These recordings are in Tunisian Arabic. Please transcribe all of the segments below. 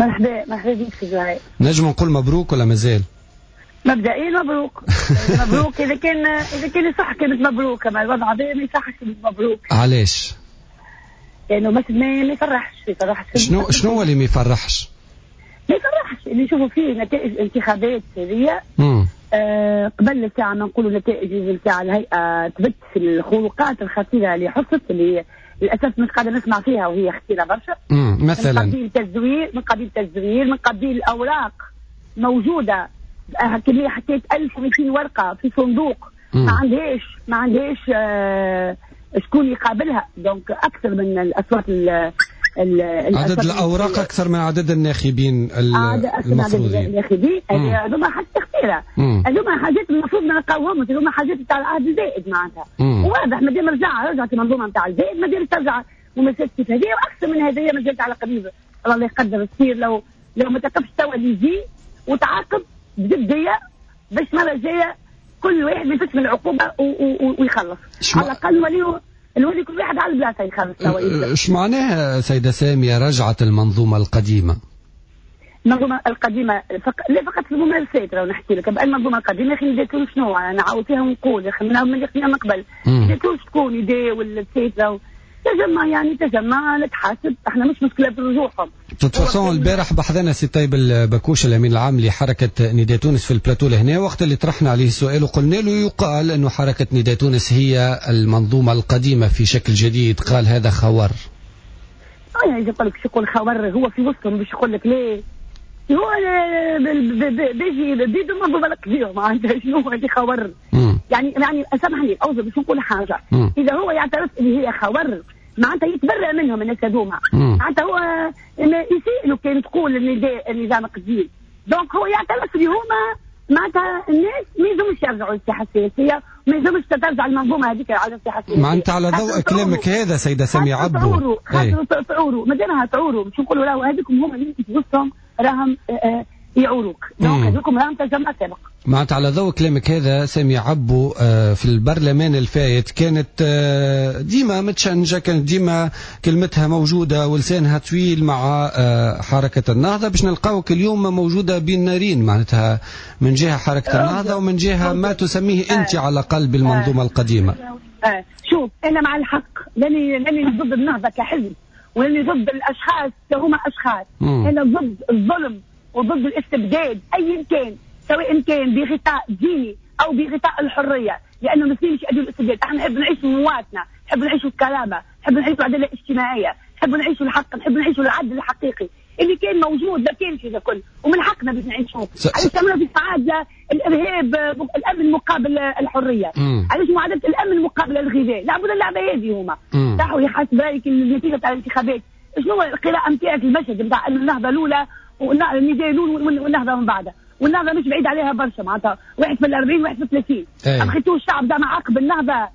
مرحبا، مرحبا بك سي زهير. نجم نقول مبروك ولا مازال؟ مبدئيا مبروك. مبروك اذا كان صح كانت مبروك، اما الوضع هذا ما يصحش مبروك. علاش؟ لانه ما يفرحش، ما يفرحش. شنو هو اللي ما يفرحش؟ ما يفرحش اللي نشوفوا فيه نتائج الانتخابات هذه. قبل الساعة ما نقولوا نتائج نتاع الهيئة تبت في الخروقات الخطيرة اللي حصلت، اللي للاسف مش قاعدة نسمع فيها وهي خطيرة برشا. مثلا من قبيل تزوير، من قبيل تزوير، من قبيل الاوراق موجودة كمية حكيت 1200 ورقة في صندوق. ما عندهاش شكون يقابلها، donc اكثر من الاصوات. عدد الاوراق اكثر من عدد الناخبين. المفروضين عدد الناخبين. هذوما حاجات خطيره، هذوما حاجات المفروض ما نلقاوهمش، هذوما حاجات تاع العهد الزائد معناتها. واضح مادام رجعت المنظومة نتاع الزائد، مادام ترجع ممارسات كيف هذه واكثر من هذه مازالت على قريب. الله يقدر تصير لو ما تقفش توا اللي يجي وتعاقب بجدية باش المرة الجاية كل واحد يفك من العقوبة ويخلص. على الاقل نولي كل واحد على البلاصة يخلص. ايش معناها سيده سامية رجعت المنظومة القديمة؟ المنظومة القديمة لا فقط في الممارسات، لو نحكي لك المنظومة القديمة اخي نداء تونس شنو انا نعاود فيها ونقول يا اخي من قبل نداء تونس تكون نداء ولا تسيترا تجمع، يعني تجمع نتحاسب احنا، مش مشكلة في رجوعهم. de toute façon البارح بحذنا سي طيب البكوش الامين العام لحركة نداء تونس في البلاتو لهنا، وقت اللي طرحنا عليه السؤال وقلنا له يقال انه حركة نداء تونس هي المنظومة القديمة في شكل جديد، قال هذا خور. يعني يقول لك يقول خور، هو في وسطهم باش يقول لك ليه هو بيجي بيدو المنظومة القديمة معناتها شنو هو اللي خور؟ يعني سامحني اوزر باش نقول حاجه. اذا هو يعترف اللي هي خور معناتها يتبرأ منهم الناس هذوما، معناتها هو يسيء كان تقول النظام القديم، donc هو يعترف اللي هما معناتها الناس ما يلزمش يرجعوا للساحه السياسيه، ما يلزمش ترجع المنظومة هذيك على الساحة السياسيه. معناتها على ضوء كلامك هذا سيده سامية عبو تعوروا، خاطر تعوروا مادامها تعوروا باش نقولوا راهو هذوكم هما اللي في وسطهم راهم يعوروك، donc هذوكم راهم تجمع سابق. معناتها على ضوء كلامك هذا سامي عبو، في البرلمان الفايت كانت ديما متشنجة، كانت ديما كلمتها موجودة ولسانها طويل مع حركة النهضة، باش نلقاوك اليوم موجودة بين نارين، معناتها من جهة حركة النهضة ومن جهة ما تسميه أنت على الأقل بالمنظومة القديمة. شوف أنا مع الحق، لاني ضد النهضة كحزب ولاني ضد الأشخاص كهما أشخاص. أنا ضد الظلم وضد الاستبداد أيا كان، سواء كان بغطاء ديني او بغطاء الحريه، لانه المسلمين مش يؤدوا الاستبداد. احنا نحب نعيش مواطنه، نحب نعيش الكرامه، نحب نعيش العدالة الاجتماعية، نحب نعيش الحق، نحب نعيش العدل الحقيقي اللي كان موجود ما كانش هذا الكل، ومن حقنا باش نعيشوه. علاش تعملوا في معادلة الارهاب الامن مقابل الحرية؟ علاش معادلة الامن مقابل الغذاء؟ لعبوا اللعبة هذه هما. راحوا يحاسب رايك النتيجة تاع الانتخابات، شنو القراءة نتاعك المشهد نتاع النهضة الاولى والنداء الاول والنهضه من بعدها؟ والنهضه مش بعيد عليها برشا، معناتها واحد في 40 واحد في 30. أخيتو الشعب ده عاقب النهضه،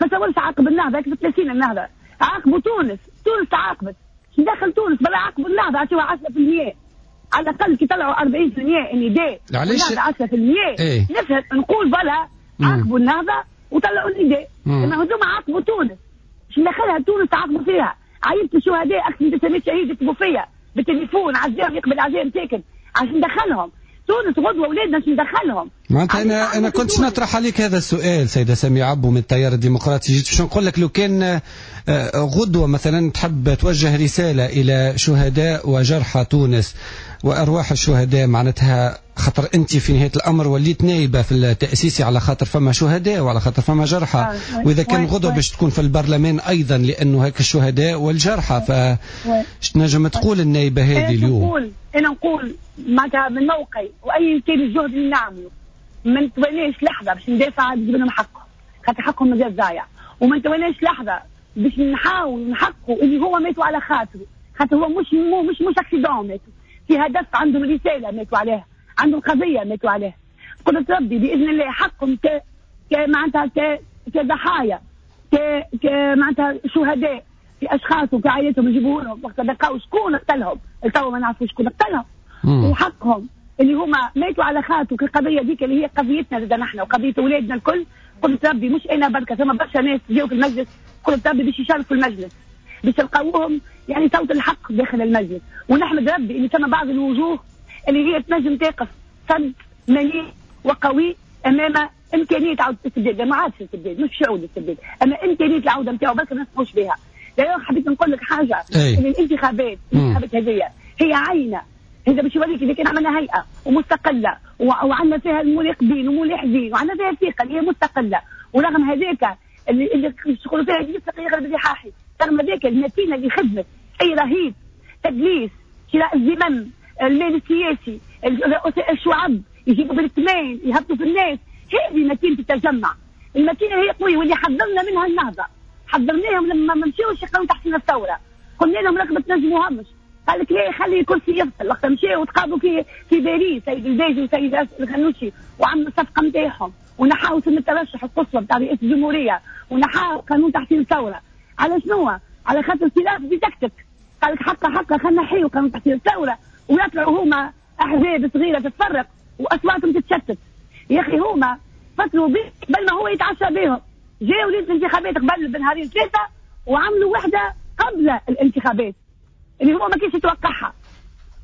ما تصورش عاقب النهضة في 30، النهضة عاقبوا تونس، تونس تعاقبت، دخل تونس بلا عاقبوا النهضه، عطيوها 10% على الاقل. كي طلعوا 40% النداء علاش 10%؟ إيه؟ نفهم نقول بلا عاقبوا النهضة وطلعوا النداء، اما هذوما عاقبوا تونس، باش ندخلها تونس تعاقبوا فيها عائلة الشهداء، اكثر من 900 شهيد يكتبوا فيا بالتليفون عزاهم يقبل عزاهم ساكن عشان ندخلهم تونس غدوه اولادنا باش ندخلهم. معناتها انا كنت نطرح عليك هذا السؤال سيده سامية عبو من التيار الديمقراطي، جيت باش نقول لك لو كان غدوه مثلا تحب توجه رسالة الى شهداء وجرحى تونس وارواح الشهداء، معناتها خاطر انت في نهاية الامر وليت نايبه في التاسيسي على خاطر فما شهداء وعلى خاطر فما جرحى، واذا كان غدوه باش تكون في البرلمان ايضا لانه هيك الشهداء والجرحى، ف تنجم تقول النايبه هذه اليوم؟ انا نقول معناتها من موقعي واي كان الجهد اللي نعمله ما نتواناش لحظة باش ندافع نجيب لهم حقهم، خاطر حقهم مازال ضايع، وما نتواناش لحظة باش نحاول نحققوا اللي هو ماتوا على خاطره، خاطر هو مش accident ماتوا في هدف، عندهم رسالة ماتوا عليها، عندهم قضية ماتوا عليها. قدرة ربي باذن الله حقهم ك ك معناتها كضحايا ك ك معناتها شهداء في اشخاص وكعائلتهم يجيبوا لهم وقت لقاو شكون قتلهم، تو ما نعرفوا شكون قتلهم، وحقهم اللي هما ماتوا على خاطر القضية ديك اللي هي قضيتنا زاد نحن وقضية اولادنا الكل. قدرة ربي مش انا بركه، ثم برشا ناس جاوا في المجلس، قدرة ربي باش يشاركوا في المجلس باش تلقاوهم. يعني صوت الحق داخل المجلس. ونحمد ربي اللي ثم بعض الوجوه اللي هي تنجم تقف صد مليء وقوي امام امكانية عوده الاستبداد. ما عادش الاستبداد، مش يعود الاستبداد، اما امكانية العودة نتاعو برك ما نسمحوش بها. d'ailleurs حبيت نقول لك حاجة، ان الانتخابات هذه هي عينه، هذا باش يوريك اذا كان عملنا هيئة ومستقله وعندنا فيها المراقبين وملاحظين وعندنا فيها الثقة اللي هي مستقلة، ورغم هذاك اللي يقولوا فيها يغرب الرحاحي، رغم هذاك الماكينة اللي خدمت اي رهيب، تدليس، شراء الذمم، المال السياسي، الشعب يجيبوا بالثمين يهبطوا في الناس، هذه ماكينة التجمع. الماكينة هي قوية، واللي حذرنا منها النهضة، حذرناهم لما ما مشاوش يقراو تحسين الثورة، قلنا لهم راكم ما تنجموهمش، قال لك لا خلي الكرسي يفصل. وقت مشاو وتقابلوا في باريس سيد الباجي وسيد الغنوشي وعملوا الصفقة نتاعهم ونحاو سن الترشح القصوى نتاع رئاسة الجمهورية ونحاو قانون تحسين الثورة. على شنو؟ على خاطر سلاف بتكتك، قال لك حقا حقا خلينا نحيو قانون تحسين الثورة ويطلعوا هما احزاب صغيرة تتفرق واصواتهم تتشتت. يا اخي هما فصلوا به قبل ما هو يتعشى بهم، جاوا ليلة الانتخابات قبل بنهارين ثلاثة وعملوا وحده قبل الانتخابات اللي هو ما كانش يتوقعها.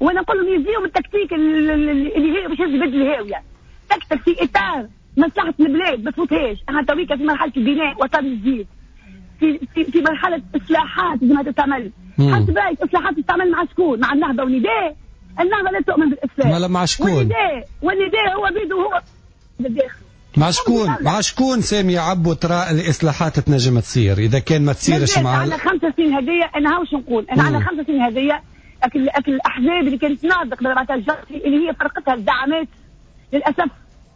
وانا نقول لهم يزيهم التكتيك اللي هي باش يجبد الهاوية، تكتك في اطار مصلحة البلاد ما تفوتهاش. احنا تويكا في مرحلة البناء وطن جديد، في في في مرحلة اصلاحات لازم تتعمل. حسب رايك اصلاحات تتعمل مع شكون؟ مع النهضة ونداء؟ النهضة لا تؤمن بالاسلام. مع شكون؟ والنداء هو بيده هو بالداخل. مع شكون؟ مع شكون سامية عبو ترى الإصلاحات تنجم تصير إذا كان ما تصيرش مع على 5 سنين هذية؟ أنا هاوش نقول أنا على 5 سنين هذية أكل الأحزاب اللي كانت ناضق معناتها الجرسي اللي هي فرقتها الزعامات، للأسف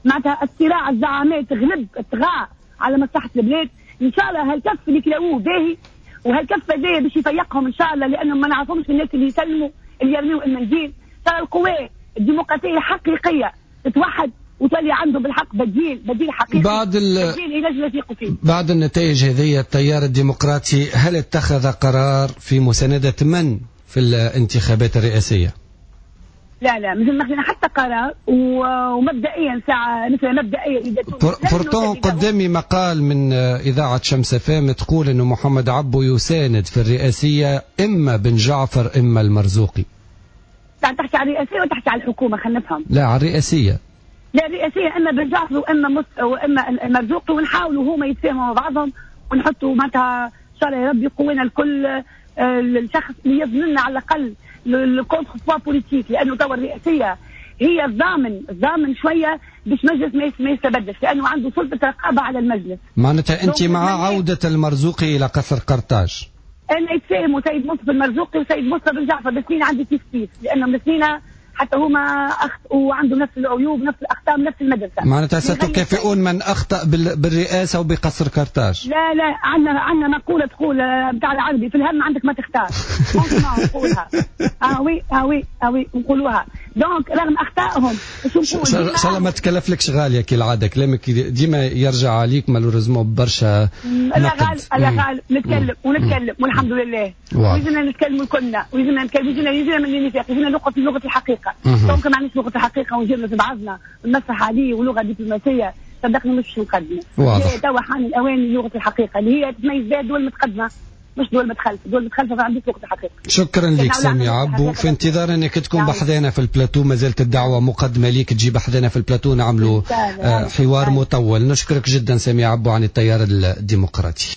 معناتها الصراع الزعامات غلب طغى على مصلحة البلاد. إن شاء الله هالكف اللي كلاوه باهي، وهالكف هذايا باش يفيقهم إن شاء الله، لأنهم ما نعرفهمش الناس اللي يسلموا اللي يرميوا المنديل. ترى القوى الديمقراطية الحقيقية تتوحد وتولي عنده بالحق بديل حقيقي، بعد بديل ينجم يثيقوا فيه. بعد النتائج هذه التيار الديمقراطي هل اتخذ قرار في مساندة من في الانتخابات الرئاسية؟ لا لا، مازال ما خذينا حتى قرار، ومبدئيا ساعة مثلا مبدئيا pourtant قدامي مقال من إذاعة شمس فام تقول أنه محمد عبو يساند في الرئاسية إما بن جعفر إما المرزوقي. تحكي على الرئاسية ولا تحكي على الحكومة؟ خلينا نفهم. لا على الرئاسية. لا الرئاسية إما بن جعفر وإما المرزوقي، ونحاولوا هما يتفاهموا مع بعضهم ونحطوا معناتها إن شاء الله يا ربي يقوينا الكل الشخص اللي يضمن على الأقل ال contrepoids politique، لأنه توا الرئاسية هي الضامن شوية باش مجلس ما يستبدش، لأنه عنده سلطة رقابة على المجلس. معناتها أنت مع عودة المرزوقي إلى قصر قرطاج؟ أنا يتفاهموا سيد مصطفى المرزوقي وسيد مصطفى بن جعفر، الاثنين عندي كيف كيف، لأنهم الاثنين حتى هما أخطأوا وعندهم نفس العيوب نفس الأخطاء نفس المدرسة. معناتها ستكافئون من أخطأ بالرئاسة وبقصر قرطاج؟ لا لا، عندنا مقولة تقول بتاع العربي في الهم عندك ما تختار. نقولها oui oui oui نقولوها. donc رغم أخطائهم إن شاء الله ما تكلفلكش غالية كالعادة، كلامك ديما يرجع عليك malheureusement برشا. لا غال لا غال، نتكلم ونتكلم والحمد لله، ويزنا نتكلموا كلنا، ويزنا نتكلم، يزنا من النفاق، يزنا لغة لغة الحقيقة. donc ما عندناش لغة الحقيقة ونجيبنا في بعضنا ونمسح عليه ولغة دبلوماسية، صدقني مش مقدمه. واضح. توا حان الاوان لغة الحقيقة اللي هي تتميز بها الدول المتقدمة، مش دول متخلفة، دول متخلفة ما عندهاش لغة الحقيقة. شكرا لك سامية عبو، في انتظار انك تكون بحذانا في البلاتو، ما زالت الدعوة مقدمه ليك تجي بحذانا في البلاتو نعملوا حوار مطول. نشكرك جدا سامية عبو عن التيار الديمقراطي.